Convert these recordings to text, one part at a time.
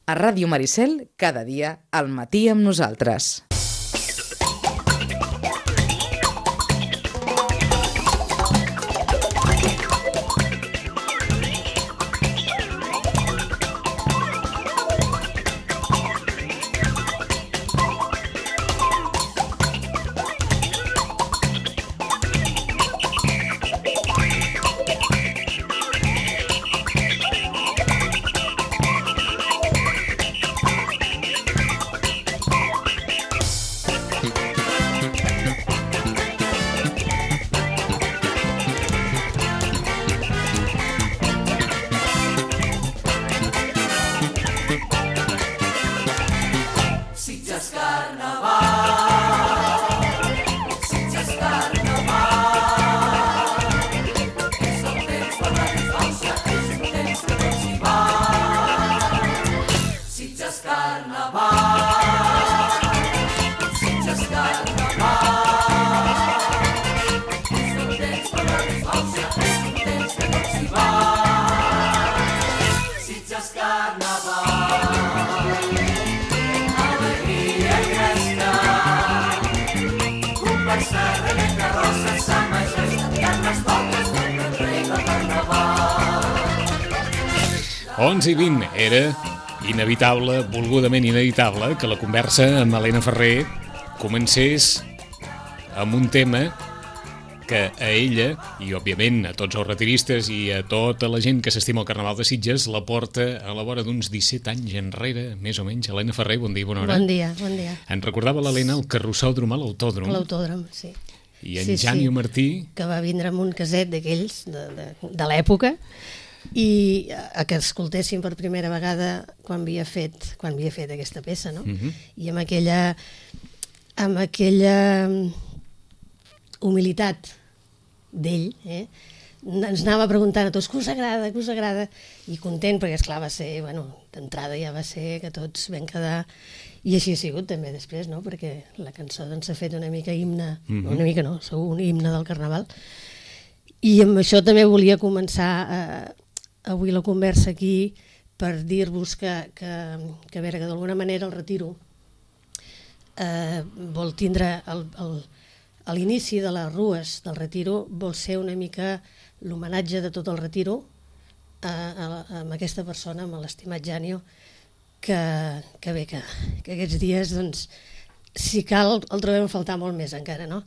A Ràdio Maricel, cada dia, al matí amb nosaltres. Onze i 20 era inevitable, volgudament inevitable, que la conversa amb Helena Ferrer comencés amb un tema que a ella, i òbviament a tots els retiristes i a tota la gent que s'estima el Carnaval de Sitges, la porta a la vora d'uns 17 anys enrere, més o menys. Helena Ferrer, bon dia i bona hora. Bon dia, bon dia. Ens recordava l'Helena el carrossòdrom a l'Autòdrom. L'Autòdrom, sí. I en Jani Martí... Que va vindre amb un caset d'aquells, de l'època, i que escoltéssim per primera vegada quan havia fet aquesta peça, no? I amb aquella humilitat d'ell, ens anava preguntant a tots què us agrada, i content, perquè esclar va ser, d'entrada ja va ser que tots vam quedar, i així ha sigut també després, no? Perquè la cançó doncs s'ha fet una mica himne, una mica no, segur un himne del Carnaval, i amb això també volia començar avui la conversa aquí per dir-vos que a veure, que d'alguna manera el Retiro vol tindre a l'inici de les rues del Retiro, vol ser una mica l'homenatge de tot el Retiro amb aquesta persona, amb l'estimat Janio, que bé, que aquests dies, doncs, si cal, el trobem a faltar molt més encara, no?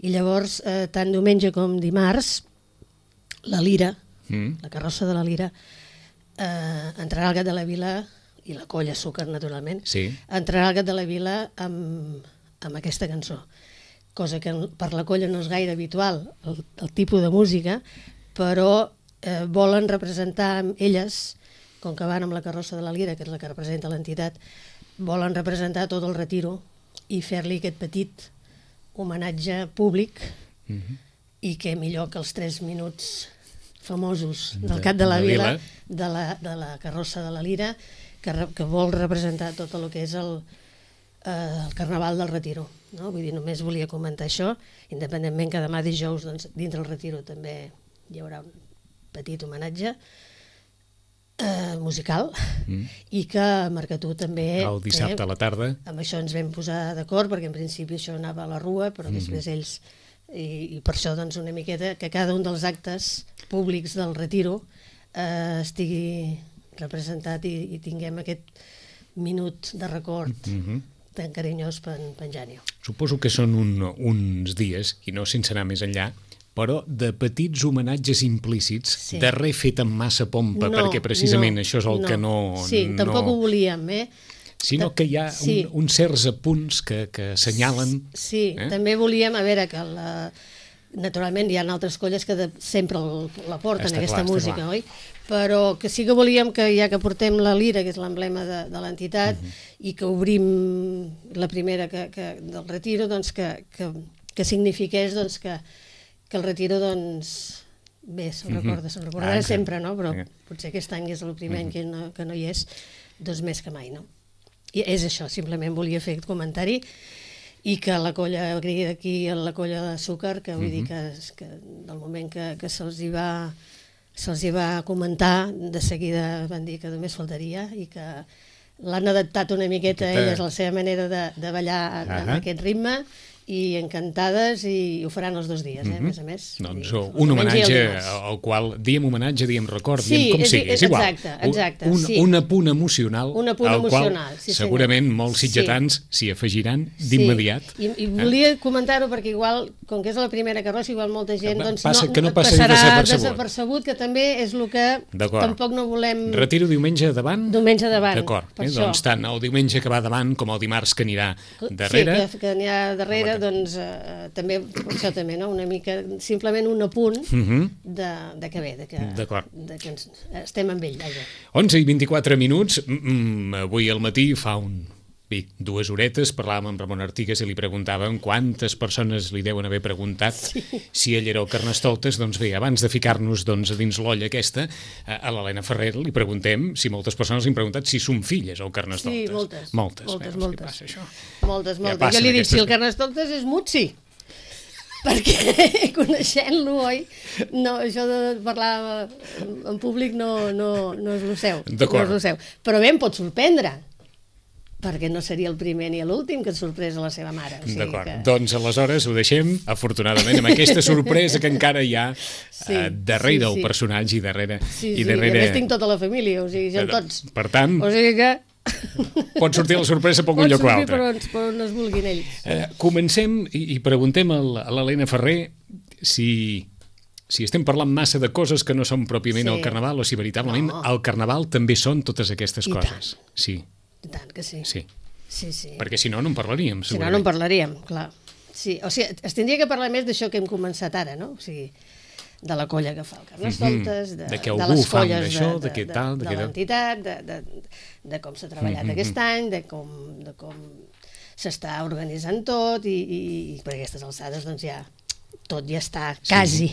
I llavors, tant diumenge com dimarts, la Lira, la carrossa de la Lira, entrarà al Gat de la Vila, i la Colla Súcar, naturalment, entrarà al Gat de la Vila amb aquesta cançó, cosa que per la Colla no és gaire habitual, el tipus de música, però volen representar elles, com que van amb la carrossa de la Lira, que és la que representa l'entitat, volen representar tot el Retiro i fer-li aquest petit homenatge públic, i que millor que els 3 minuts famosos del Gat de la Vila, de la carrossa de la Lira, que vol representar tot el que és el Carnaval del Retiro, no? Vull dir, només volia comentar això, independentment que demà dijous, doncs, dintre el Retiro també hi haurà un petit homenatge musical, i que a Mercatú també... El dissabte a la tarda. Amb això ens vam posar d'acord, perquè en principi això anava a la Rua, però després ells... I per això, doncs, una miqueta que cada un dels actes públics del Retiro estigui representat i tinguem aquest minut de record tan carinyós per en Janio. Suposo que són uns dies, i no sense anar més enllà, però de petits homenatges implícits, de res fet amb massa pompa, perquè precisament això és el que no... Sí, tampoc ho volíem, sinó que hi ha uns certs apunts que assenyalen... Sí, també volíem, a veure, que naturalment hi ha altres colles que sempre la porten, aquesta música, oi? Però que sí que volíem que, ja que portem la Lira, que és l'emblema de l'entitat, i que obrim la primera del Retiro, doncs que signifiqués que el Retiro, doncs, bé, se'n recordarà sempre, no? Però potser aquest any és el primer any que no hi és, doncs més que mai, no? I és això, simplement volia fer aquest comentari, i que la colla agridi d'aquí a la colla de Súcar, que vull dir que del moment que se'ls hi va comentar, de seguida van dir que només faltaria, i que l'han adaptat una miqueta a elles, la seva manera de ballar amb aquest ritme, i encantades, i ho faran els 2 dies, a més a més. Doncs un homenatge al qual diem homenatge, diem record, diem com sigui, és igual. Exacte. Un apunt emocional al qual segurament molts sitgetans s'hi afegiran d'immediat. I volia comentar-ho perquè igual, com que és la primera carrossa, igual molta gent que no passarà desapercebut, que també és el que tampoc no volem... Retiro diumenge davant? Diumenge davant. D'acord, doncs tant el diumenge que va davant com el dimarts que anirà darrere. Sí, que anirà darrere, doncs també, això també, no? Una mica, simplement un apunt de que bé, de que estem amb ell. 11:24 minuts, avui al matí fa 2 horetes parlàvem amb Ramon Artigas i li preguntàvem quantes persones li deuen haver preguntat si ell era el Carnestoltes. Doncs bé, abans de ficar-nos dins l'olla aquesta, a l'Helena Ferrer li preguntem si moltes persones li han preguntat si són filles el Carnestoltes. Sí, moltes. Moltes. Jo li dic, si el Carnestoltes és Mutsi, perquè coneixent-lo, oi? No, això de parlar en públic no és el seu. D'acord. Però bé, em pot sorprendre, perquè no seria el primer ni l'últim que et sorprès a la seva mare. D'acord, doncs aleshores ho deixem, afortunadament, amb aquesta sorpresa que encara hi ha darrere el personatge i darrere... Sí, a més tinc tota la família, o sigui, són tots. Per tant, o sigui que... pot sortir la sorpresa per un lloc o altre. Pot sortir per on es vulguin ells. Comencem i preguntem a l'Helena Ferrer si estem parlant massa de coses que no són pròpiament el Carnaval o si veritablement el Carnaval també són totes aquestes coses. Sí. I tant que sí. Sí. Sí. Perquè si no en parlaríem, segurament. Si no en parlaríem, clar. Sí, o sigui, es tindria que parlar més d'això que hem començat ara, no? O sigui, de la colla que fa el Carnestoltes, de les colles de l'entitat, de com s'ha treballat aquest any, de com s'està organitzant tot, i per aquestes alçades doncs ja tot ja està quasi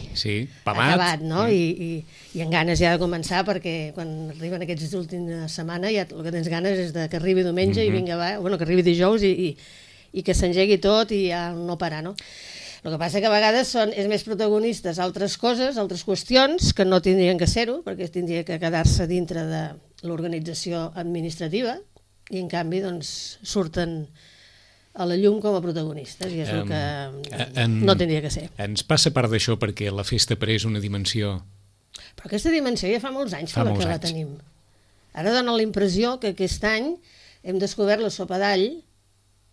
acabat, no? I amb ganes ja de començar, perquè quan arriben aquests últims setmanes ja el que tens ganes és que arribi diumenge i vinga, que arribi dijous i que s'engegui tot i ja no parar, no? El que passa que a vegades és més protagonistes altres coses, altres qüestions que no tindrien que ser-ho, perquè tindria que quedar-se dintre de l'organització administrativa, i en canvi doncs surten a la llum com a protagonistes, i és el que no tindria que ser. Ens passa part d'això perquè la festa ha pres una dimensió... Però aquesta dimensió ja fa molts anys que la tenim. Ara dona la impressió que aquest any hem descobert la sopa d'all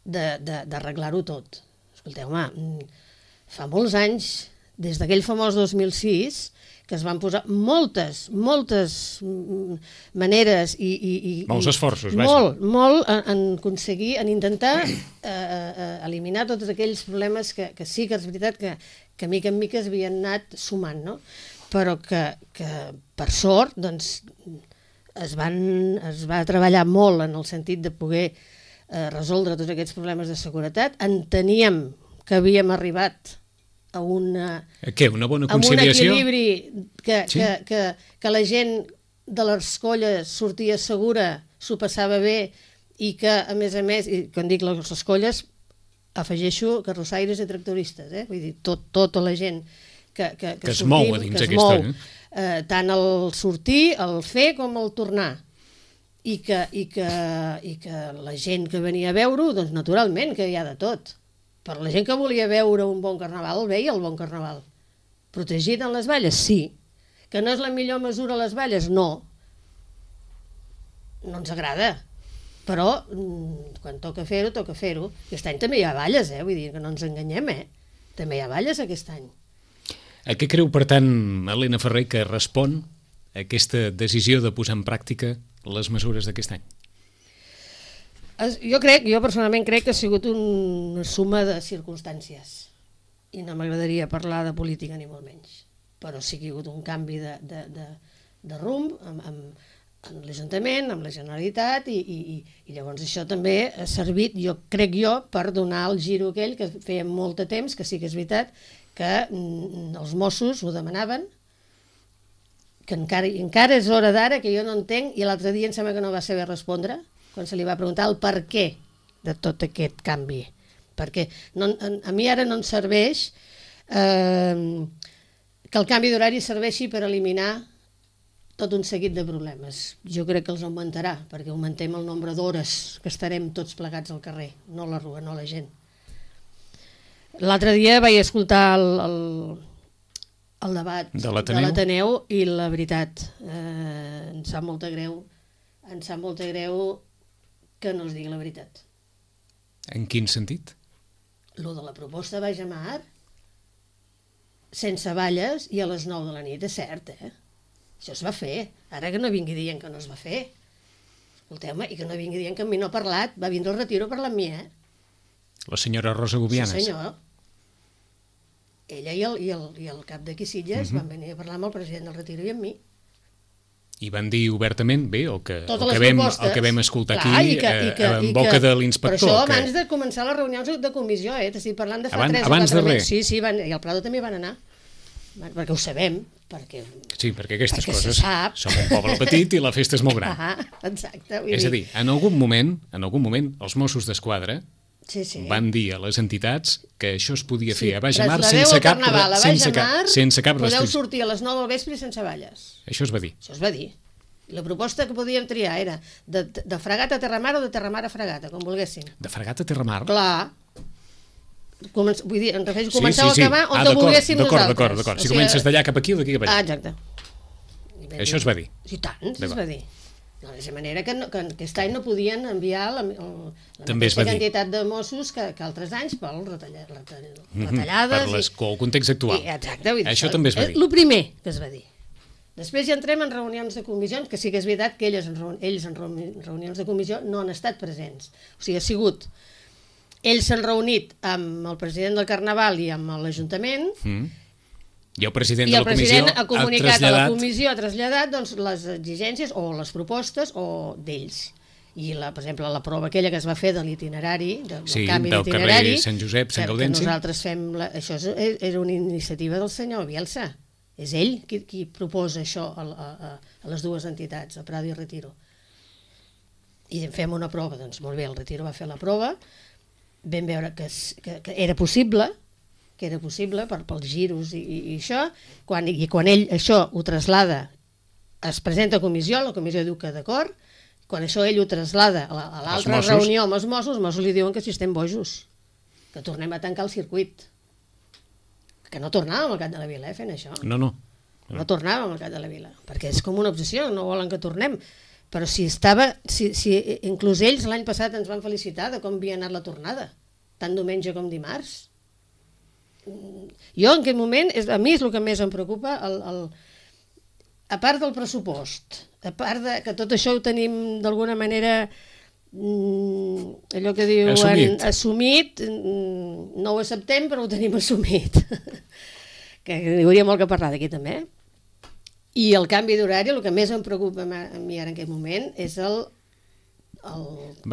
d'arreglar-ho tot. Escolteu, fa molts anys, des d'aquell famós 2006, que es van posar moltes maneres i molts esforços, molt en aconseguir, en intentar eliminar tots aquells problemes que sí que és veritat que mica en mica es havien anat sumant, no? Però que per sort doncs es va treballar molt en el sentit de poder resoldre tots aquests problemes de seguretat. Enteníem que havíem arribat a una bona conciliació? Un equilibri que la gent de les colles sortia segura, s'ho passava bé, i que, a més, i quan dic les colles, afegeixo carrossaires i tractoristes, vull dir, tota la gent que es mou a dins aquesta, tant el sortir, el fer com el tornar. I que la gent que venia a veure-ho, doncs naturalment que hi ha de tot. Per la gent que volia veure un bon carnaval, veia el bon carnaval. Protegit en les valles? Sí. Que no és la millor mesura a les valles? No. No ens agrada. Però quan toca fer-ho, toca fer-ho. Aquest any també hi ha valles, vull dir que no ens enganyem, També hi ha valles aquest any. A què creu, per tant, Helena Ferrer, que respon a aquesta decisió de posar en pràctica les mesures d'aquest any? Jo personalment crec que ha sigut una suma de circumstàncies, i no m'agradaria parlar de política ni molt menys, però sí que hi ha hagut un canvi de rumb amb l'Ajuntament, amb la Generalitat, i llavors això també ha servit, crec jo, per donar el giro aquell que feia molt de temps, que sí que és veritat que els Mossos ho demanaven, que encara és hora d'ara, que jo no entenc, i l'altre dia em sembla que no va saber respondre quan se li va preguntar el per què de tot aquest canvi. Perquè a mi ara no em serveix que el canvi d'horari serveixi per eliminar tot un seguit de problemes. Jo crec que els augmentarà, perquè augmentem el nombre d'hores que estarem tots plegats al carrer, no la rua, no la gent. L'altre dia vaig escoltar el debat de l'Ateneu i la veritat, em sap molta greu que no els digui la veritat. En quin sentit? Lo de la proposta Baix a Mar, sense valles i a les 9 de la nit, és cert, Això es va fer. Ara que no vingui dient que no es va fer. Escolteu-me, i que no vingui dient que amb mi no ha parlat. Va vindre al Retiro a parlar amb mi, La senyora Rosa Gubianes. Sí, senyor. Ella i el cap d'aquí Sitges van venir a parlar amb el president del Retiro i amb mi. I van dir obertament, bé, el que vam escoltar clar, aquí en boca de l'inspector. Però això abans de començar les reunions de comissió, t'estic parlant de fa 3 o 4 mesos. Abans de res. Sí, i al Prado també van anar, perquè ho sabem. Sí, perquè aquestes coses som un poble petit i la festa és molt gran. Exacte. És a dir, en algun moment, els Mossos d'Esquadra van dir a les entitats que això es podia fer a Baix a Mar sense cap restricció. Podeu sortir a les 9 del vespre sense valles. Això es va dir. Això es va dir. La proposta que podíem triar era de Fregat a Terramar o de Terramar a Fregata, com volguéssim. De Fregat a Terramar? Clar. Vull dir, em refereixo a començar o acabar on te volguéssim nosaltres. D'acord. Si comences d'allà cap aquí o d'aquí cap allà. Exacte. Això es va dir. I tant, es va dir. De la manera que aquest any no podien enviar la mateixa quantitat de Mossos que altres anys per retallades. Per el context actual. Exacte. Això també es va dir. El primer que es va dir. Després ja entrem en reunions de comissions, que sí que és veritat que ells en reunions de comissió no han estat presents. O sigui, ha sigut... Ells s'han reunit amb el president del Carnaval i amb l'Ajuntament i el president de la comissió ha comunicat a la comissió, ha traslladat les exigències o les propostes d'ells. I, per exemple, la prova aquella que es va fer de l'itinerari, del canvi d'itinerari... del carrer Sant Josep, Sant Gaudenci. Nosaltres fem... Això era una iniciativa del senyor Bielsa. És ell qui proposa això a les dues entitats, a Prado i Retiro. I fem una prova, doncs molt bé, el Retiro va fer la prova, vam veure que era possible, pels giros i això, i quan ell això ho traslada, es presenta a comissió, la comissió diu que d'acord, quan això ell ho traslada a l'altra reunió amb els Mossos li diuen que si estem bojos, que tornem a tancar el circuit. Que no tornàvem al Cap de la Vila fent això. No tornàvem al Cap de la Vila, perquè és com una obsessió, no volen que tornem. Però si inclús ells l'any passat ens van felicitar de com havia anat la tornada, tant diumenge com dimarts. Jo en aquest moment, a mi és el que més em preocupa, a part del pressupost, a part de que tot això ho tenim d'alguna manera allò que diuen assumit, no ho acceptem però ho tenim assumit, que hi hauria molt que parlar d'aquí també. I el canvi d'horari, el que més em preocupa a mi ara en aquest moment és que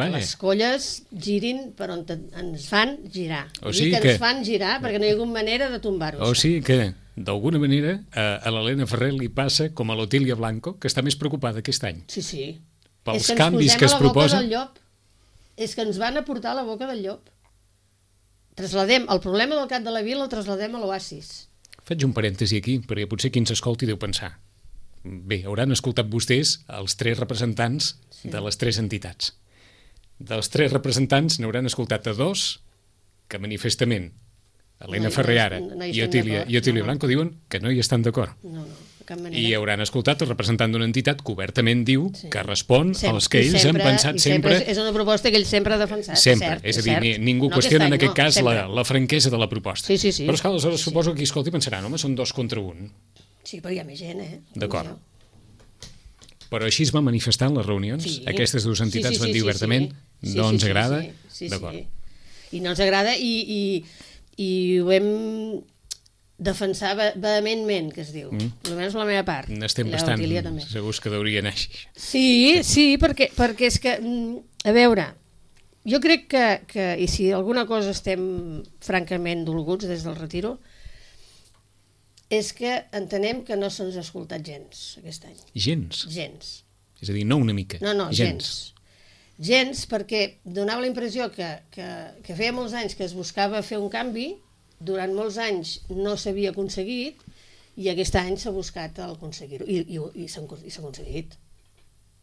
les colles girin per on ens fan girar. Ens fan girar perquè no hi ha hagut manera de tombar-ho. O sigui que, d'alguna manera, a l'Helena Ferrer li passa com a l'Otília Blanco, que està més preocupada aquest any. Sí. Pels canvis que es proposen. És que ens van a portar a la boca del llop. Trasladem el problema del Cap de la Vila, el trasladem a l'Oasis. Faig un parèntesi aquí, perquè potser qui ens escolti deu pensar. Bé, hauran escoltat vostès els 3 representants de les 3 entitats. Dels 3 representants n'hauran escoltat a 2 que manifestament Helena Ferrer ara i Otília Blanco diuen que no hi estan d'acord. No, de cap manera. I hauran escoltat el representant d'una entitat que obertament diu que respon als que ells han pensat sempre. És una proposta que ells sempre han defensat. Sempre, és a dir, ningú qüestiona en aquest cas la franquesa de la proposta. Sí. Però és que aleshores suposo que qui escolti pensaran, home, són 2 contra 1. Sí, però hi ha més gent, D'acord. Però així es va manifestar en les reunions? Aquestes 2 entitats van dir obertament no ens agrada? D'acord. I no ens agrada i ho hem defensar vehementment, que es diu. Almenys la meva part. N'estem bastant segurs que deurien així. Sí, perquè és que, a veure, jo crec que, i si alguna cosa estem francament dolguts des del Retiro, és que entenem que no se'ns ha escoltat gens aquest any. Gens? Gens. És a dir, no una mica. No, gens. Gens, perquè donava la impressió que feia molts anys que es buscava fer un canvi, durant molts anys no s'havia aconseguit, i aquest any s'ha buscat el aconseguir-ho, i s'ha aconseguit.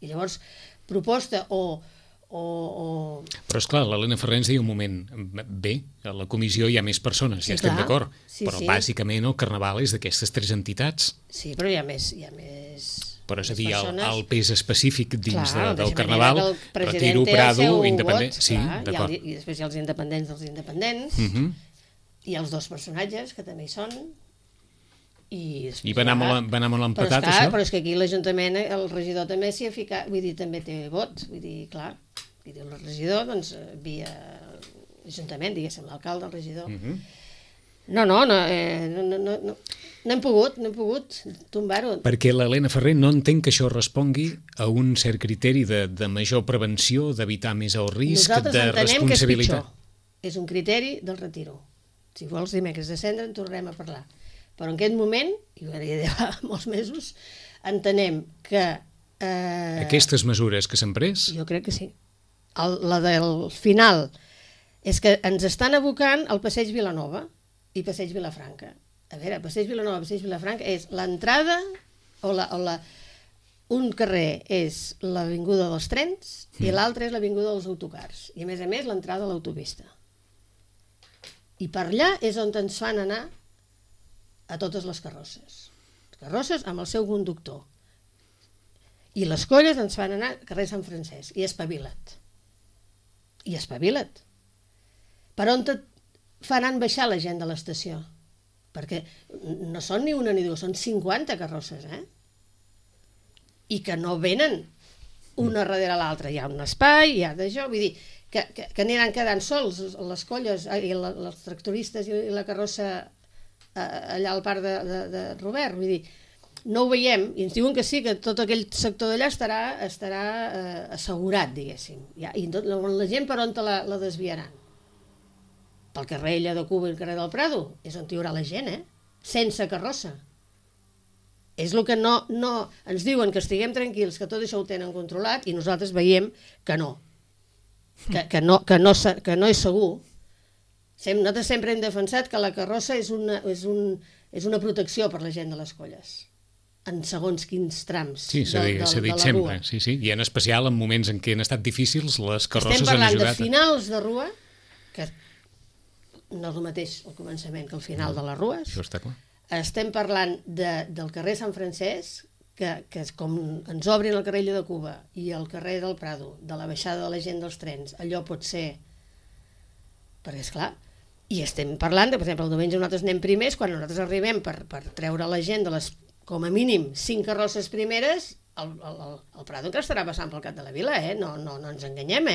I llavors, proposta Però, esclar, l'Helena Ferrer ens deia un moment, bé, a la comissió hi ha més persones, ja estem d'acord, però bàsicament el Carnaval és d'aquestes 3 entitats. Sí, però hi ha més però és a dir, el pes específic dins del Carnaval, Carnaval, Retiro, Prado, Independent... Sí, d'acord. I després hi ha els independents dels independents, i els 2 personatges, que també hi són, i va anar molt empatat, això? Però és que aquí l'Ajuntament, el regidor també s'hi ha ficat, vull dir, també té vot, vull dir, clar, el regidor, doncs, via l'Ajuntament, diguéssim, l'alcalde, el regidor. No hem pogut tombar-ho. Perquè l'Helena Ferrer no entén que això respongui a un cert criteri de major prevenció, d'evitar més el risc, de responsabilitat. Nosaltres entenem que és pitjor. És un criteri del retiro. Si vols dimecres de cendre en tornem a parlar. Però en aquest moment, i ho deia fa molts mesos, entenem que... Aquestes mesures que s'han pres? Jo crec que sí. La del final és que ens estan abocant al Passeig Vilanova i Passeig Vilafranca. A veure, Passeig Vilanova, Passeig Vilafranca és l'entrada un carrer és l'avinguda dels trens i l'altre és l'avinguda dels autocars. I a més l'entrada a l'autopista. I per allà és on ens fan anar a totes les carrosses. Carrosses amb el seu conductor. I les colles ens fan anar al carrer Sant Francesc. I espavila't. Per on et faran baixar la gent de l'estació? Perquè no són ni una ni dues, són 50 carrosses, I que no venen una darrere l'altra. Hi ha un espai, hi ha d'això, vull dir, que aniran quedant sols les colles, i els tractoristes i la carrossa allà al parc de Robert, vull dir, no ho veiem, i ens diuen que sí, que tot aquell sector d'allà estarà assegurat, diguéssim. I la gent per on la desviaran? Pel carrer Illa de Cuba i el carrer del Prado, és on hi haurà la gent, sense carrossa. És el que no ens diuen, que estiguem tranquils, que tot això ho tenen controlat, i nosaltres veiem que no. Que no és segur. Nosaltres sempre hem defensat que la carrossa és una protecció per la gent de les colles, en segons quins trams de la rua. Sí, s'ha dit sempre, sí. I en especial en moments en què han estat difícils, les carrosses han ajudat. Estem parlant de finals de rua, que no és el mateix al començament que al final de les rues. Això està clar. Estem parlant del carrer Sant Francesc, que com ens obrin el carrer Illa de Cuba i el carrer del Prado, de la baixada de la gent dels trens, allò pot ser... Perquè, esclar, i estem parlant de, per exemple, el diumenge nosaltres anem primers, quan nosaltres arribem per treure la gent de les, com a mínim, 5 carrosses primeres, el Prado encara estarà passant pel cap de la vila, no ens enganyem,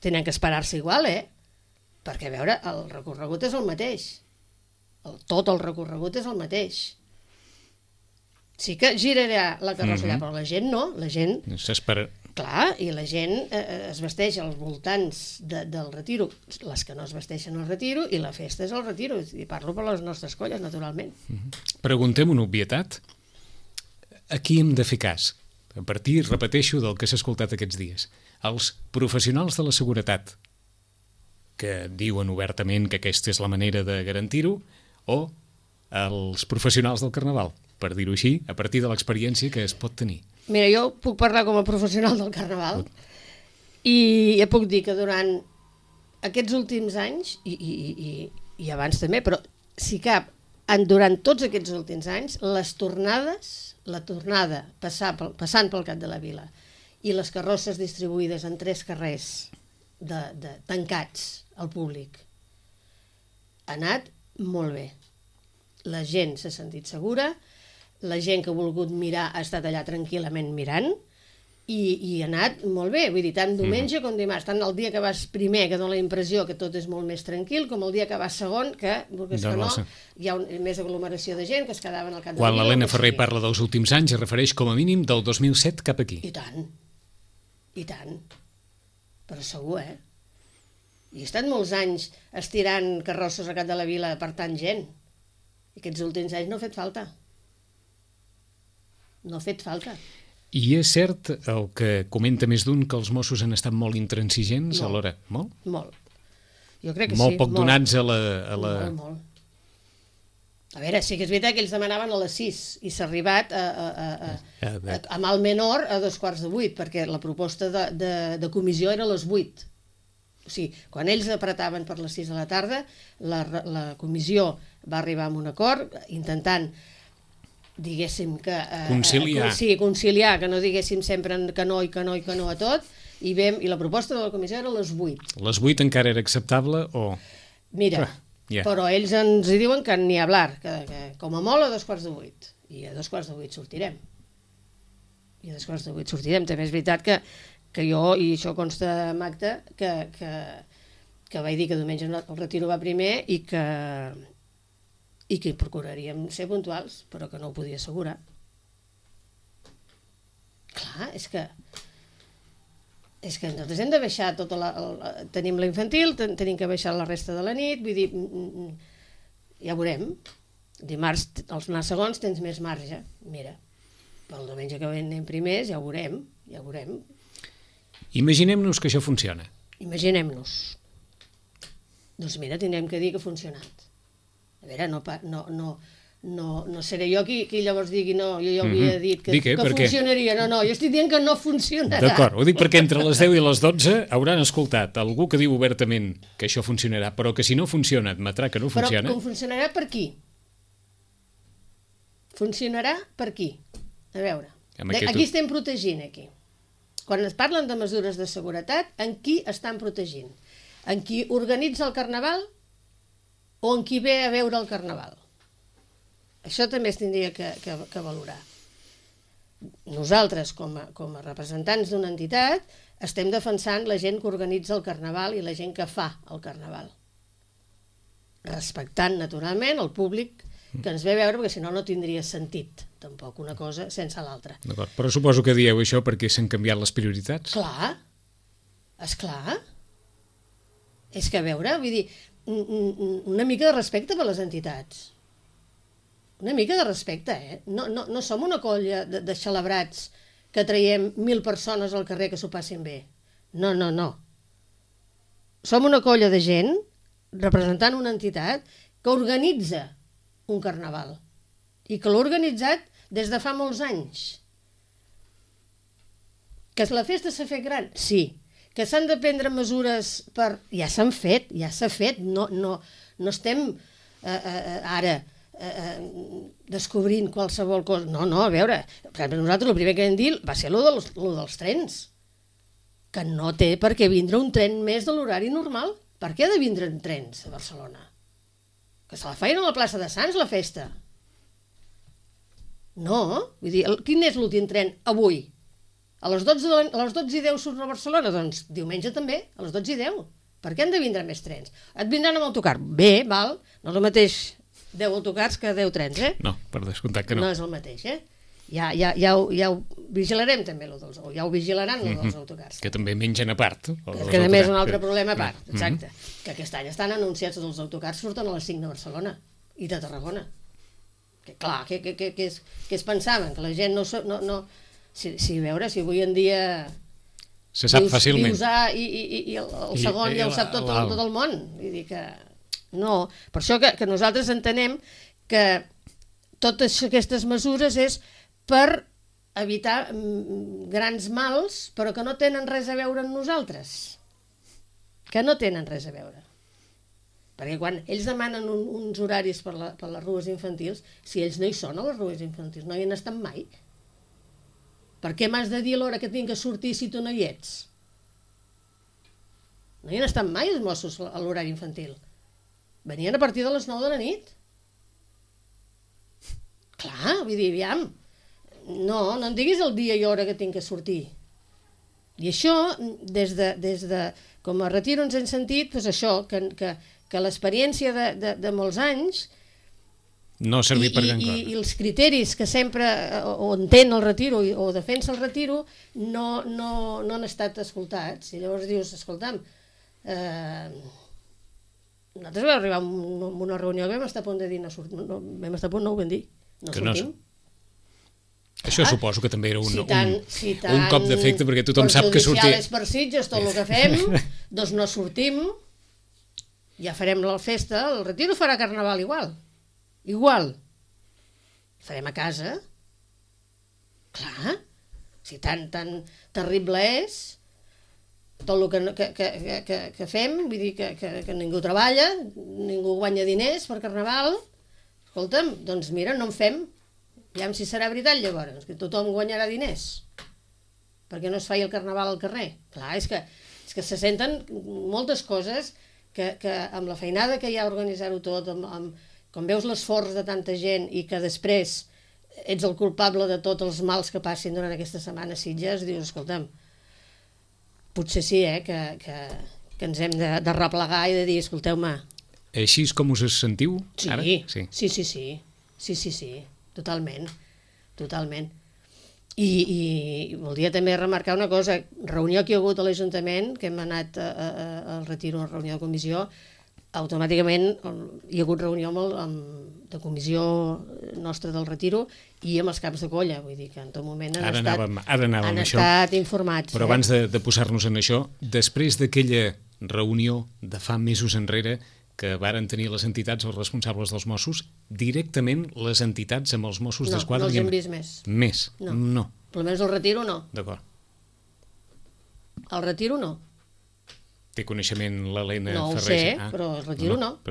Tenen que esperar-se igual, perquè, a veure, el recorregut és el mateix. Tot el recorregut és el mateix. Sí que girarà la carrossa allà, però la gent no, la gent... S'espera... Clar, i la gent es vesteix als voltants del Retiro, les que no es vesteixen al Retiro, i la festa és al Retiro, i parlo per les nostres colles, naturalment. Preguntem una obvietat. A qui hem de fer cas? A partir, repeteixo, del que s'ha escoltat aquests dies. Els professionals de la seguretat, que diuen obertament que aquesta és la manera de garantir-ho, o els professionals del Carnaval, per dir-ho així, a partir de l'experiència que es pot tenir. Mira, jo puc parlar com a professional del Carnaval i ja puc dir que durant aquests últims anys, i abans també, però si cap, durant tots aquests últims anys, la tornada passant pel cap de la vila i les carrosses distribuïdes en 3 carrers tancats al públic, ha anat molt bé. La gent s'ha sentit segura, la gent que ha volgut mirar ha estat allà tranquil·lament mirant i ha anat molt bé, vull dir, tant diumenge com dimarts, tant el dia que vas primer, que dona la impressió que tot és molt més tranquil, com el dia que vas segon, que hi ha més aglomeració de gent que es quedaven al cap de la Quan l'Helena Ferrer parla dels últims anys, es refereix com a mínim del 2007 cap aquí. I tant, però segur, I he estat molts anys estirant carrosses al cap de la vila per tant gent, i aquests últims anys no ha fet falta. No ha fet falta. I és cert el que comenta més d'un, que els Mossos han estat molt intransigents alhora? Molt? Molt. Jo crec que molt sí. Molt poc donats a la... Molt. A veure, sí que és veritat que ells demanaven a les 6 i s'ha arribat a mal menor a 7:45, perquè la proposta de comissió era a les 8. O sigui, quan ells apretaven per les 6 de la tarda, la comissió va arribar a un acord intentant, diguéssim, que... conciliar. Sí, conciliar, que no diguéssim sempre que no i que no i que no a tot, i la proposta de la comissió era a les 8. Les 8 encara era acceptable o...? Mira... Yeah. Però ells ens hi diuen que ni hablar, que com a molt a 7:45. I a 7:45 sortirem. I a 7:45 sortirem. També és veritat que jo, i això consta en acta, que vaig dir que diumenge el retiro va primer i que procuraríem ser puntuals, però que no ho podia assegurar. Clar, és que nosaltres hem de baixar tenim la infantil, tenim que baixar la resta de la nit, vull dir, ja veurem. Dimarts, els anar segons, tens més marge. Mira, pel diumenge que anem primers, ja ho veurem. Imaginem-nos que això funciona. Imaginem-nos. Doncs mira, tindrem que dir que ha funcionat. A veure, no seré jo qui llavors digui no, jo ja havia dit que funcionaria. No, jo estic dient que no funcionarà. D'acord, ho dic perquè entre les 10 i les 12 hauran escoltat algú que diu obertament que això funcionarà, però que si no funciona admetrà que no funciona. Però com funcionarà per qui? Funcionarà per qui? A veure, aquí estem protegint, aquí. Quan es parlen de mesures de seguretat, en qui estan protegint? En qui organitza el carnaval o en qui ve a veure el carnaval? Això també es tindria que valorar. Nosaltres, com a representants d'una entitat, estem defensant la gent que organitza el carnaval i la gent que fa el carnaval. Respectant, naturalment, el públic que ens ve a veure, perquè si no, no tindria sentit, tampoc, una cosa sense l'altra. D'acord, però suposo que dieu això perquè s'han canviat les prioritats? Clar, esclar. És que, a veure, vull dir, una mica de respecte per les entitats. Una mica de respecte, eh? No som una colla de celebrats que traiem 1.000 persones al carrer que s'ho passin bé. No. Som una colla de gent representant una entitat que organitza un carnaval i que l'ha organitzat des de fa molts anys. Que la festa s'ha fet gran? Sí. Que s'han de prendre mesures per... Ja s'han fet, ja s'ha fet. No estem ara... descobrint qualsevol cosa. No, a veure, per exemple, nosaltres el primer que vam dir va ser lo dels trens, que no té per què vindre un tren més de l'horari normal. Per què ha de vindre en trens a Barcelona? Que se la feien a la plaça de Sants, la festa. No, vull dir, quin és l'últim tren avui? A les 12:10 surt a Barcelona? Doncs diumenge també, a les 12:10. Per què han de vindre més trens? Et vindran amb autocar? Bé, val, no és el mateix 10 autocars que 10 trens, eh? No, per descomptat que no. No és el mateix, eh? Ja ho vigilarem també, ja ho vigilaran dels autocars. Que també mengen a part. Que també és un altre problema a part, exacte. Que aquest any estan anunciats tots els autocars, surten a les 5 de Barcelona i de Tarragona. Que clar, que es pensaven, que la gent no... Si veure, si avui en dia... Se sap fàcilment. Dius A i el segon ja ho sap tot el món. Vull dir que... No, per això que nosaltres entenem que totes aquestes mesures és per evitar grans mals, però que no tenen res a veure amb nosaltres. Que no tenen res a veure. Perquè quan ells demanen uns horaris per les rues infantils, si ells no hi són a les rues infantils, no hi han estat mai. Per què m'has de dir a l'hora que tinc que sortir si tu no hi ets? No hi han estat mai els Mossos a l'horari infantil. Venien a partir de les 9 de la nit. Clar, vull dir, aviam. No em diguis el dia i hora que tinc que sortir. I això, des de com a retiro ens hem sentit, doncs això, que l'experiència de molts anys no servir per gran cosa. I els criteris que sempre o entén el retiro o defensa el retiro no han estat escoltats. I llavors dius, escolta'm, nosaltres vam arribar a una reunió que vam estar a punt de dir no ho vam dir, no sortim. Això suposo que també era un cop d'efecte, perquè tothom sap que sortir... Per per sitges, tot el que fem, doncs no sortim, ja farem la festa, el retiro farà carnaval igual. igual. Farem a casa. Clar, si tan terrible és tot el que fem, vull dir que ningú treballa, ningú guanya diners per Carnaval, escolta'm, doncs mira, no en fem. Aviam si serà veritat llavors, que tothom guanyarà diners. Perquè no es faci el Carnaval al carrer. Clar, és que se senten moltes coses que amb la feinada que hi ha a organitzar-ho tot, com veus l'esforç de tanta gent i que després ets el culpable de tots els mals que passin durant aquesta setmana a Sitges, dius, escolta'm, potser sí, que ens hem de replegar i de dir, escolteu-me... Així és com us sentiu ara? Sí, totalment. I voldria també remarcar una cosa, reunió que hi ha hagut a l'Ajuntament, que hem anat al retiro, a la reunió de comissió, automàticament hi ha hagut reunió de comissió nostra del retiro i amb els caps de colla, vull dir que en tot moment han estat informats. Però abans de posar-nos en això, després d'aquella reunió de fa mesos enrere que varen tenir les entitats, els responsables dels Mossos, directament les entitats amb els Mossos d'Esquadra... No els hem vist més. Més? No. Per almenys el retiro no. D'acord. El retiro no. Té coneixement l'Helena Ferrer? No ho sé, però el retiro no.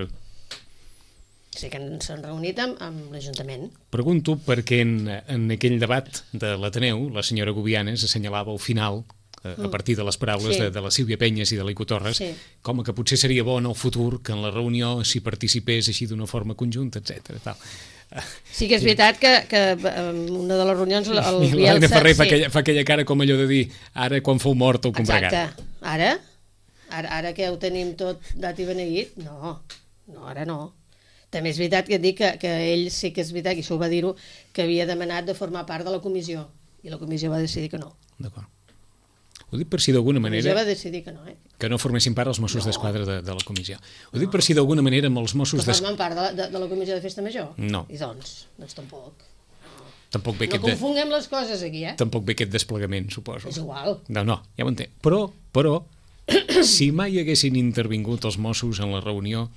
Sé que s'han reunit amb l'Ajuntament. Pregunto perquè en aquell debat de l'Ateneu, la senyora Gubianes assenyalava al final, a partir de les paraules de la Sílvia Penyes i de l'Ico Torres, com que potser seria bo en el futur que en la reunió s'hi participés així d'una forma conjunta, etc. Sí que és veritat que una de les reunions el Bielsa... L'Helena Ferrer fa aquella cara com allò de dir ara quan fou mort ho compregat. Exacte. Ara que ho tenim tot dat i beneït, no, ara no. També és veritat que dic que ell sí que és veritat, i això ho va dir-ho, que havia demanat de formar part de la comissió, i la comissió va decidir que no. D'acord. Ho dic per si d'alguna manera... La comissió va decidir que no, Que no formessin part els Mossos d'Esquadra de la comissió. Ho dic per si d'alguna manera amb els Mossos d'Esquadra... Que formen part de la comissió de Festa Major? No. I doncs tampoc. Tampoc ve no confonguem les coses aquí, Tampoc ve aquest desplegament, suposo. És igual. No, ja ho entenc. Però si mai haguessin intervingut els Mossos en la reunió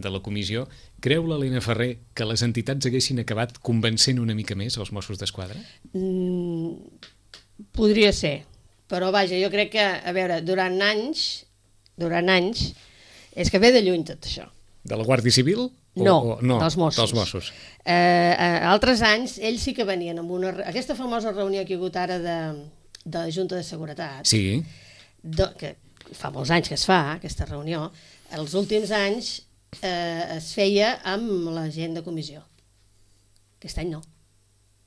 de la comissió, creu l'Helena Ferrer que les entitats haguessin acabat convencent una mica més els Mossos d'Esquadra? Podria ser. Però vaja, jo crec que, a veure, durant anys, és que ve de lluny tot això. De la Guàrdia Civil? No, dels Mossos. Dels Mossos. Altres anys, ells sí que venien amb aquesta famosa reunió que hi ha hagut ara de la Junta de Seguretat, sí. Que fa molts anys que es fa, aquesta reunió, els últims anys es feia amb la gent de comissió. Aquest any no.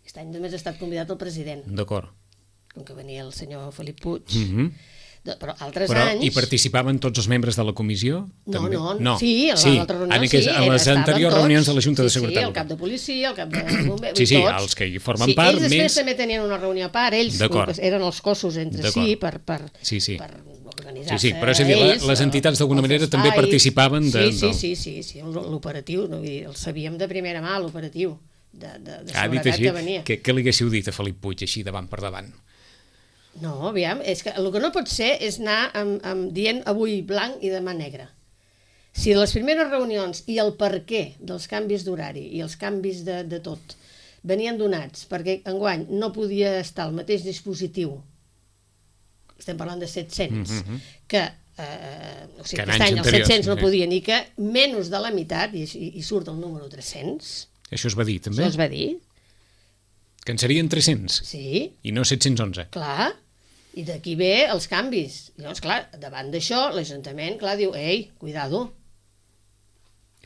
Aquest any només ha estat convidat el president. D'acord. Com que venia el senyor Felip Puig. Però altres Però anys... hi participaven tots els membres de la comissió? No. Sí, a l'altra reunió sí. A les anteriors reunions de la Junta de Seguretat. Sí, el cap de policia, el cap de bombers, sí, els que hi formen part. Ells després també tenien una reunió a part, ells eren els cossos entre si per organitzar-se. Sí, però és a dir, les entitats d'alguna manera també participaven de... Sí, l'operatiu, el sabíem de primera mà, l'operatiu de seguretat que venia. Què li haguéssiu dit a Felip Puig així davant per davant? No, aviam, és que el que no pot ser és anar dient avui blanc i demà negre. Si les primeres reunions i el perquè dels canvis d'horari i els canvis de tot venien donats perquè enguany no podia estar al mateix dispositiu, estem parlant de 700, que aquest any els 700 no podien i que menys de la meitat, i surt el número 300... Això es va dir també? Això es va dir. Que en serien 300? Sí. I no 711? Clar. I d'aquí ve els canvis. I llavors, clar, davant d'això, l'Ajuntament, clar, diu, ei, cuidado.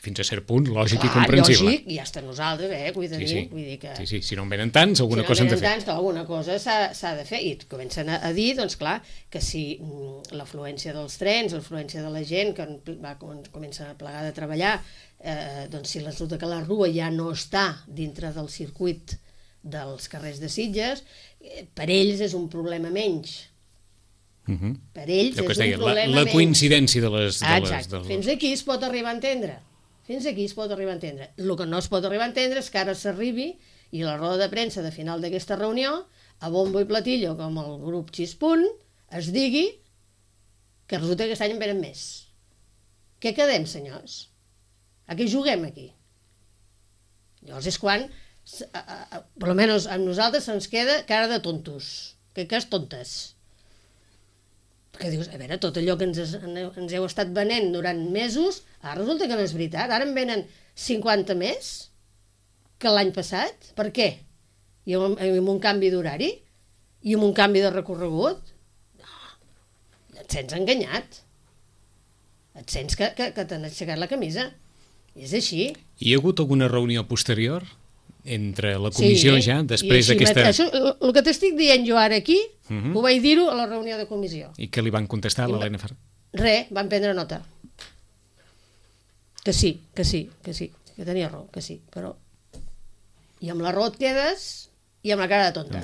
Fins a cert punt, lògic i comprensible. Lògic, i hasta nosaltres, cuidadín. Vull dir que... Sí, si no en venen tants, alguna cosa hem de fer. Alguna cosa s'ha de fer. I comencen a dir, doncs clar, que si l'afluència dels trens, l'afluència de la gent, que comença a plegar de treballar, doncs si resulta que la rua ja no està dintre del circuit dels carrers de Sitges, per ells és un problema menys. Per ells és un problema menys. La coincidència de les... Exacte. Fins aquí es pot arribar a entendre. El que no es pot arribar a entendre és que ara s'arribi i la roda de premsa de final d'aquesta reunió, a bombo i platillo, com el grup Xispunt, es digui que resulta que aquest any en venen més. Què quedem, senyors? A què juguem aquí? Llavors és quan, per almenys amb nosaltres, se'ns queda cara de tontos, que és tontes. Perquè dius, a veure, tot allò que ens heu estat venent durant mesos, ara resulta que no és veritat. Ara en venen 50 més que l'any passat. Per què? I amb un canvi d'horari? I amb un canvi de recorregut? No, et sents enganyat. Et sents que t'han aixecat la camisa. I és així. Hi ha hagut alguna reunió posterior entre la comissió ja, després d'aquesta... Això, el que t'estic dient jo ara aquí, ho vaig dir-ho a la reunió de comissió. I què li van contestar a l'Helena Ferrer? Res, van prendre nota. Que sí, que tenia raó, que sí, però... I amb la raó et quedes i amb la cara de tonta.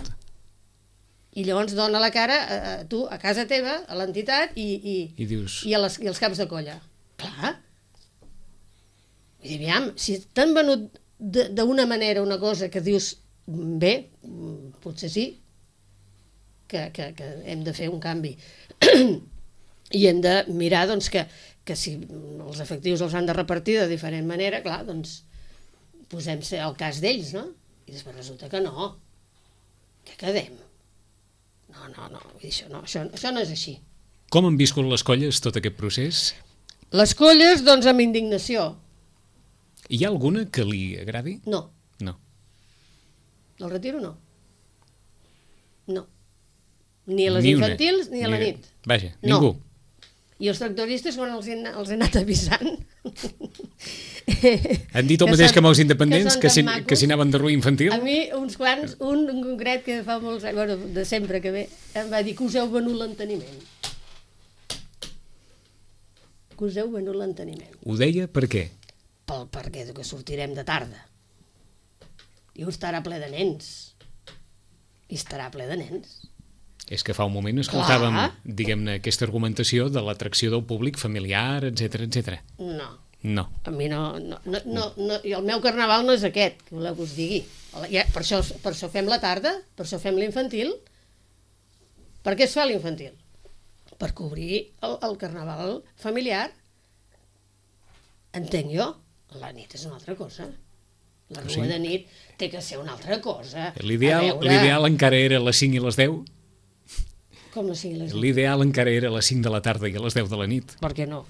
I llavors dona la cara a tu, a casa teva, a l'entitat i dius... i als caps de colla. Clar. I aviam, si t'han venut d'una manera una cosa que dius, bé, potser sí, que hem de fer un canvi. I hem de mirar doncs, que si els efectius els han de repartir de diferent manera, clar, doncs posem-se al cas d'ells, no? I després resulta que no. Què quedem? No, això no és així. Com han viscut les colles tot aquest procés? Les colles, doncs, amb indignació. Hi ha alguna que li agradi? No. No. El retiro no. No. Ni a les infantils ni a la nit. Vaja, ningú. I els tractoristes, quan els he anat avisant... Han dit el mateix que amb els independents, que si anaven de ruïna infantil? A mi, uns quants, un en concret que fa molts anys, bueno, de sempre que ve, em va dir que us heu venut l'enteniment. Que us heu venut l'enteniment. Ho deia per què? Perquè que sortirem de tarda. I estarà ple de nens. I estarà ple de nens. És que fa un moment escoltàvem, diguem-ne, aquesta argumentació de l'atracció del públic familiar, etc. No. A mi no. I el meu carnaval no és aquest, que voleu que us digui. Per això fem la tarda, per això fem l'infantil. Per què es fa l'infantil? Per cobrir el carnaval familiar. Entenc jo. La nit és una altra cosa. La rua de nit té que ser una altra cosa. L'ideal encara era a les 5 i les 10? Com les 5 i les 10? L'ideal encara era a les 5 de la tarda i a les 10 de la nit. Per què no?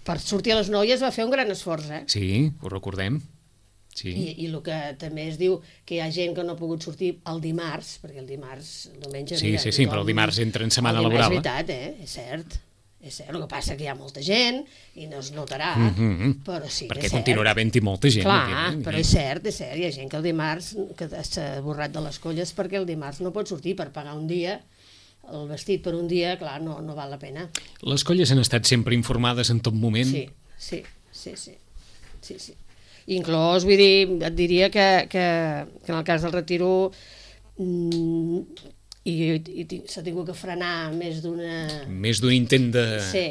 Per sortir a les 9 ja es va fer un gran esforç, Sí, ho recordem. Sí. I el que també es diu que hi ha gent que no ha pogut sortir el dimarts, perquè el diumenge... Sí, però el dimarts entra en setmana laboral. És veritat, és cert. És cert, el que passa que hi ha molta gent i no es notarà, però sí, perquè continuarà havent-hi molta gent. Clar, però és cert, hi ha gent que el dimarts que s'ha borrat de les colles perquè el dimarts no pot sortir per pagar un dia, el vestit per un dia, clar, no val la pena. Les colles han estat sempre informades en tot moment? Sí. Inclòs, vull dir, et diria que en el cas del retiro i s'ha tingut que frenar més d'un intent de... Sí.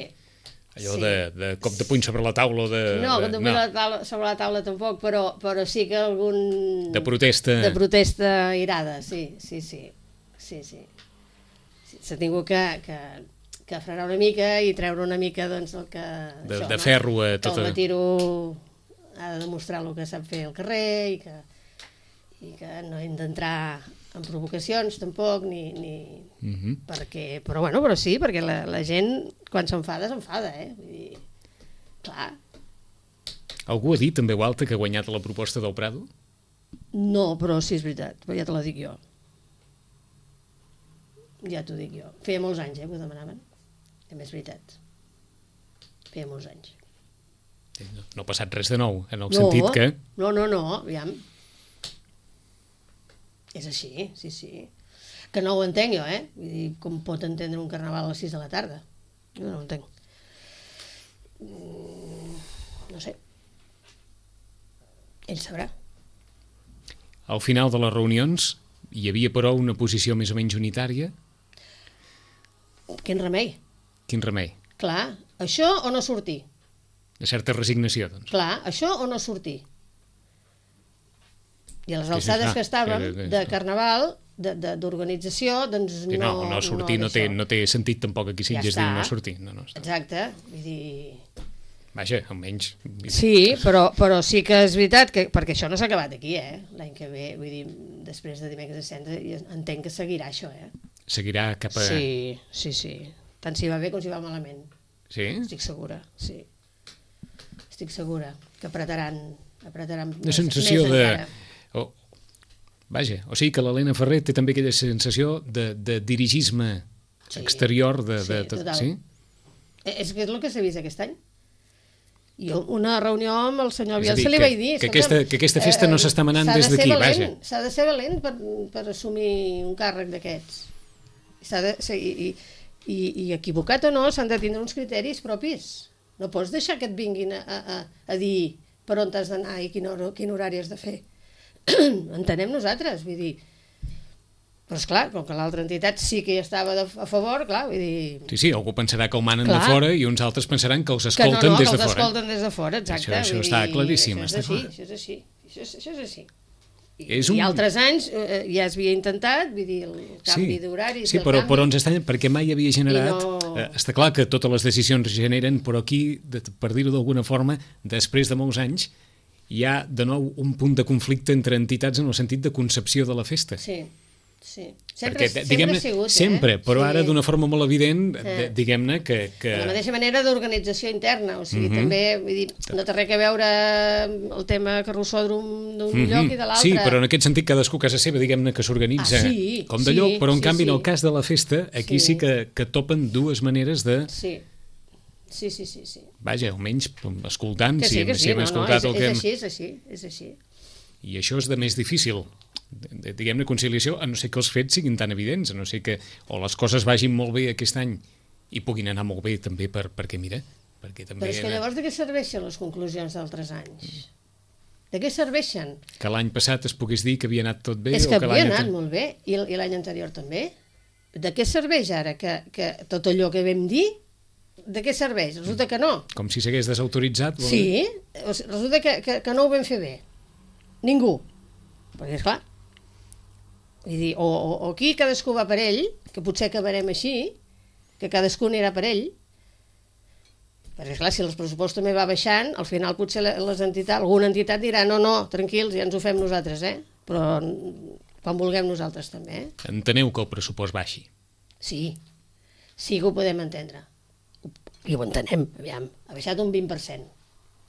Allò de cop de puny sobre la taula o de... No, cop de puny sobre la taula tampoc, però sí que algun... De protesta. De protesta irada, sí. S'ha tingut que frenar una mica i treure una mica, doncs, el que... De ferro a tota... Que el retiro ha de demostrar el que sap fer al carrer i que no hem d'entrar en provocacions tampoc, perquè, però sí, perquè la gent quan s'enfada, vull dir, clar. Algú ha dit en veu alta que ha guanyat la proposta del Prado? No, però sí, és veritat, però ja te la dic jo. Ja t'ho dic jo. Feia molts anys, que ho demanaven. És veritat. Feia molts anys. No ha passat res de nou, en el sentit que... No, aviam. És així, sí. Que no ho entenc jo, Vull dir, com pot entendre un carnaval a les 6 de la tarda? Jo no ho entenc. No sé. Ell sabrà. Al final de les reunions hi havia, però, una posició més o menys unitària? Quin remei? Quin remei? Clar, això o no sortir? Una certa resignació, doncs. Clar, això o no sortir? I a les alçades que estàvem de carnaval, d'organització, doncs no... No sortir no té sentit tampoc aquí Sitges dir no sortir. Exacte, vull dir... Vaja, almenys... Sí, però sí que és veritat, perquè això no s'ha acabat aquí, l'any que ve, vull dir, després de Dimecres de Cendra, entenc que seguirà això, Seguirà cap a... Sí. Tant si va bé com si va malament. Sí? Estic segura, sí. Estic segura que apretaran Una sensació de... Vaja, o sigui que l'Helena Ferrer té també aquella sensació de dirigisme exterior de total. Sí? És que és el que s'ha vist aquest any. Jo una reunió amb el senyor És a dir, Bielsa li vaig dir... que aquesta festa no s'està manant des d'aquí, vaja. S'ha de ser valent per assumir un càrrec d'aquests. I equivocat o no, s'han de tindre uns criteris propis. No pots deixar que et vinguin a dir per on has d'anar i quin horari has de fer. Entenem nosaltres, vull dir... Però esclar, com que l'altra entitat sí que hi estava a favor, clar, vull dir... Sí, algú pensarà que ho manen de fora i uns altres pensaran que els escolten des de fora. Que els escolten des de fora, exacte. Això està claríssim. Això és així. I altres anys ja es havia intentat, vull dir, el canvi d'horaris... Sí, però ens està... perquè mai havia generat... Està clar que totes les decisions generen, però aquí, per dir-ho d'alguna forma, després de molts anys, hi ha de nou un punt de conflicte entre entitats en el sentit de concepció de la festa. Sí. Perquè, diguem-ne, sempre, però ara d'una forma molt evident, diguem-ne que... De la mateixa manera d'organització interna, o sigui, també, vull dir, no té res a veure el tema carrossòdrom d'un lloc i de l'altre. Sí, però en aquest sentit cadascú a casa seva, diguem-ne, que s'organitza com de lloc, però en canvi en el cas de la festa, aquí sí que topen dues maneres de... Sí. Vaja, almenys escoltant, si hem escoltat el que... És així. I això és de més difícil, diguem-ne, conciliació, a no ser que els fets siguin tan evidents, a no ser que o les coses vagin molt bé aquest any i puguin anar molt bé també perquè mira, perquè també... Però és que llavors de què serveixen les conclusions d'altres anys? De què serveixen? Que l'any passat es pogués dir que havia anat tot bé? És que havia anat molt bé, i l'any anterior també. De què serveix ara que tot allò que vam dir, de què serveix? Resulta que no. Com si s'hagués desautoritzat? Sí, resulta que no ho vam fer bé. Ningú. Perquè, esclar, vull dir, o aquí cadascú va per ell, que potser acabarem així, que cadascú anirà per ell, perquè, esclar, si el pressupost també va baixant, al final potser alguna entitat dirà no, tranquils, ja ens ho fem nosaltres, però quan vulguem nosaltres també. Enteneu que el pressupost baixi? Sí que ho podem entendre. I ho entenem, aviam, ha baixat un 20%,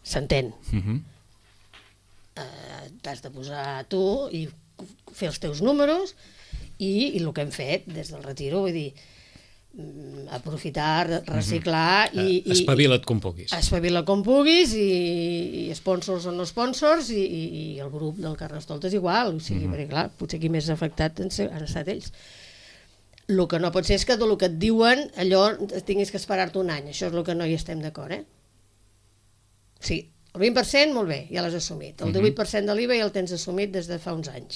s'entén. T'has de posar tu i fer els teus números i el que hem fet des del retiro, vull dir, aprofitar, reciclar i... Espavila't com puguis. Espavila't com puguis i sponsors o no sponsors i el grup del Carnestoltes igual, o sigui, perquè clar, potser qui més afectat han estat ells. El que no pot ser és que del que et diuen allò tinguis que esperar-te un any, això és el que no hi estem d'acord, Sí, el 20%, molt bé, ja l'has assumit. El 18% de l'IVA ja el tens assumit des de fa uns anys.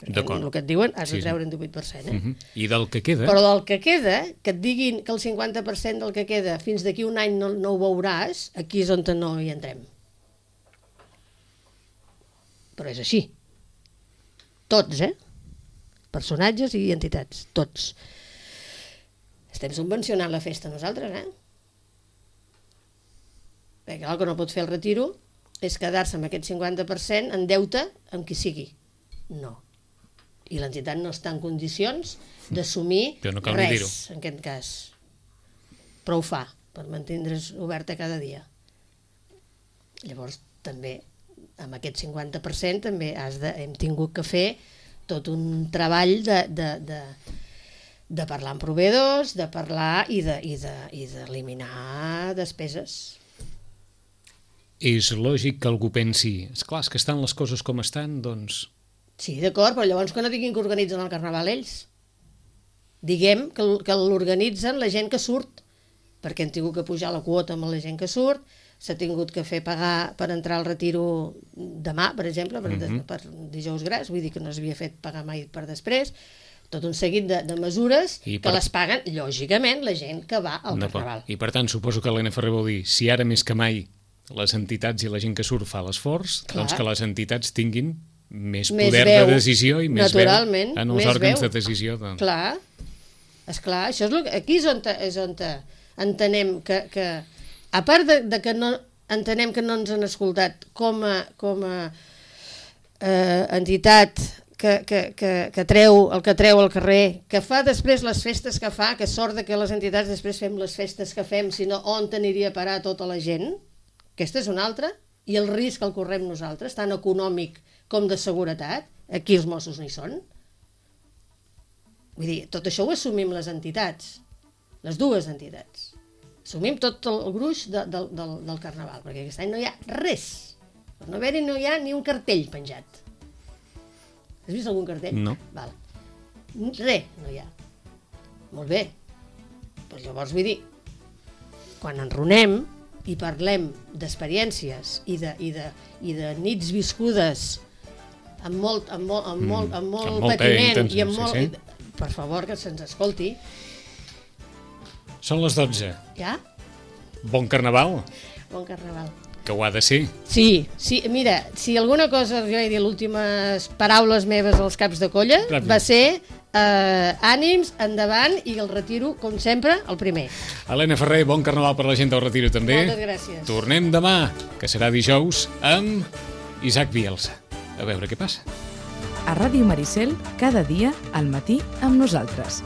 Perquè el que et diuen has de treure un 18%. I del que queda? Però del que queda, que et diguin que el 50% del que queda fins d'aquí un any no ho veuràs, aquí és on no hi entrem. Però és així. Tots, personatges i entitats, tots. Estem subvencionant la festa nosaltres, Perquè el que no pot fer el retiro és quedar-se amb aquest 50% en deute amb qui sigui. No. I l'entitat no està en condicions d'assumir res, en aquest cas. Però ho fa, per mantindre's oberta cada dia. Llavors, també, amb aquest 50% també hem tingut que fer tot un treball de parlar amb proveïdors, de parlar i d'eliminar despeses. És lògic que algú pensi, esclar, és que estan les coses com estan, doncs... Sí, d'acord, però llavors que no diguin que organitzen el carnaval ells. Diguem que l'organitzen la gent que surt, perquè han tingut que pujar la quota amb la gent que surt, s'ha tingut que fer pagar per entrar al retiro demà, per exemple, per dijous gras, vull dir que no s'havia fet pagar mai per després, tot un seguit de mesures que les paguen, lògicament, la gent que va al carnaval. I per tant, suposo que l'Helena Ferrer vol dir, si ara més que mai les entitats i la gent que surt fa l'esforç, doncs que les entitats tinguin més poder de decisió i més veu en els òrgans de decisió. Clar, esclar, això és aquí és on entenem que a part de que no entenem que no ens han escoltat com a entitat que treu el que treu al carrer, que fa després les festes que fa, que sort de que les entitats després fem les festes que fem, sinó on aniria a parar tota la gent, aquesta és una altra, i el risc el correm nosaltres, tant econòmic com de seguretat, aquí els Mossos no hi són. Vull dir, tot això ho assumim les entitats, les dues entitats. Assumim tot el gruix del Carnaval, perquè aquest any no hi ha res. Per no haver-hi no hi ha ni un cartell penjat. Has vist algun cartell? No. Val. Res no hi ha. Molt bé. Però llavors vull dir, quan enronem i parlem d'experiències i de nits viscudes amb molt patiment i amb molt... Sí. Per favor, que se'ns escolti. Són les 12. Ja? Bon Carnaval, Bon Carnaval. que ho ha de ser. Sí, mira, si alguna cosa, jo he dit, les últimes paraules meves als caps de colla, va ser ànims, endavant, i el retiro, com sempre, el primer. Helena Ferrer, bon Carnaval per la gent del Retiro també. Moltes gràcies. Tornem demà, que serà dijous, amb Isaac Bielsa. A veure què passa. A Ràdio Maricel, cada dia, al matí, amb nosaltres.